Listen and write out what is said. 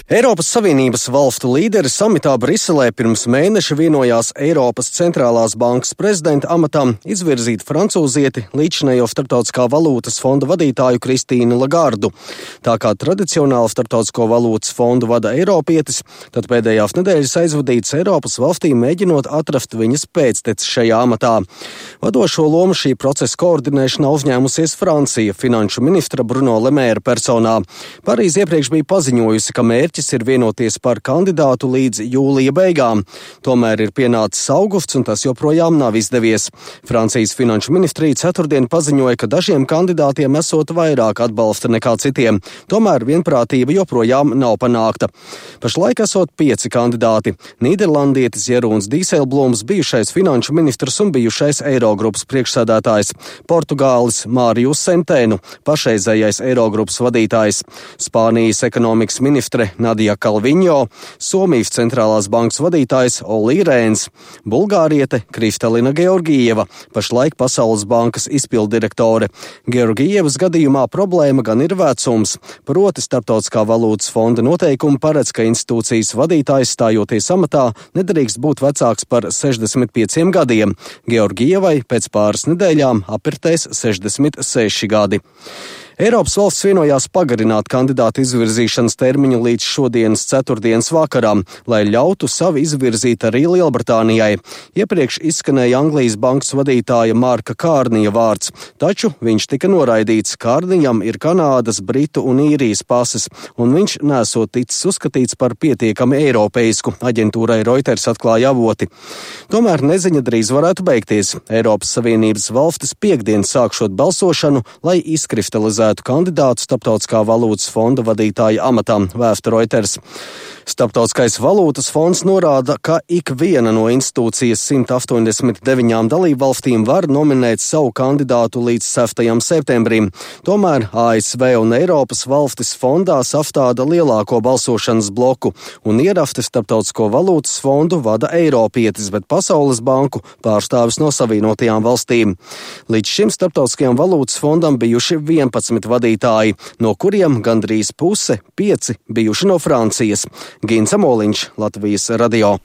Eiropas Savienības valstu līderi samitā Briselē pirms mēneša vienojās Eiropas centrālās bankas prezidenta amatam izvirzīt francūzieti līdzinējo Starptautiskā valūtas fonda vadītāju Kristīnu Lagardu. Tā kā tradicionāli Starptautisko valūtas fondu vada eiropietis, tad pēdējās nedēļas aizvadīts Eiropas valstīm mēģinot atrast viņas pēctecis šajā amatā. Vadošo lomu šī procesa koordinēšanā uzņēmusies Francija finanšu ministra Bruno Le Maire personā. Parīze iepriekš bija paziņojusi, ka mērķis ir vienoties par kandidātu līdz jūlija beigām. Tomēr ir pienācis augusts un tas joprojām nav izdevies. Francijas finanšu ministrija ceturtdien paziņoja, ka dažiem kandidātiem esot vairāk atbalsta nekā citiem. Tomēr vienprātība joprojām nav panākta. Pašlaik esot 5 kandidāti - nīderlandietis Jeroens Dijsselbloems, bijušais finanšu ministrs un bijušais Eirogrupas priekšsēdētājs, Portugālis Mārijus Sentēnu, pašreizējais Eirogrupas vadītājs, Spānijas ekonomikas ministre Nadja Kalviņo, Somijas centrālās bankas vadītājs Olī Rēns, bulgāriete Kristalina Georgieva, pašlaik Pasaules bankas izpilddirektore. Georgievas gadījumā problēma gan ir vecums, proti Starptautiskā valūtas fonda noteikumi paredz, ka institūcijas vadītājs stājoties amatā nedrīkst būt vecāks par 65 gadiem. Georgievai pēc pāris nedēļām apritēs 66 gadi. Eiropas valsts vienojās pagarināt kandidātu izvirzīšanas termiņu līdz šodienas ceturtdienas vakaram, lai ļautu savu izvirzīt arī Lielbritānijai. Iepriekš izskanēja Anglijas bankas vadītāja Marka Kārnija vārds, taču viņš tika noraidīts. Kārnijam ir Kanādas, Britu un Īrijas pases, un viņš nesot ticis uzskatīts par pietiekami eiropeisku, aģentūrai Reuters atklāja avoti. Tomēr neziņa drīz varētu beigties. Eiropas Savienības valstis piekdien sākšot balsošanu, lai izkristalizētu kandidātu Starptautiskā valūtas fonda vadītāja amatam, vēsta Reuters. Starptautiskais valūtas fonds norāda, ka ik viena no institūcijas 189 dalībvalstīm var nominēt savu kandidātu līdz 6. septembrim. Tomēr ASV un Eiropas valstis fondā sastāda lielāko balsošanas bloku, un ierasti Starptautisko valūtas fondu vada eiropietis, bet Pasaules banku pārstāvis no Savienotajām valstīm. Līdz šim Starptautiskajam valūtas fondam bijuši 11 vadītāji, no kuriem gandrīz puse 5 bijuši no Francijas. Gins Amoliņš, Latvijas radio.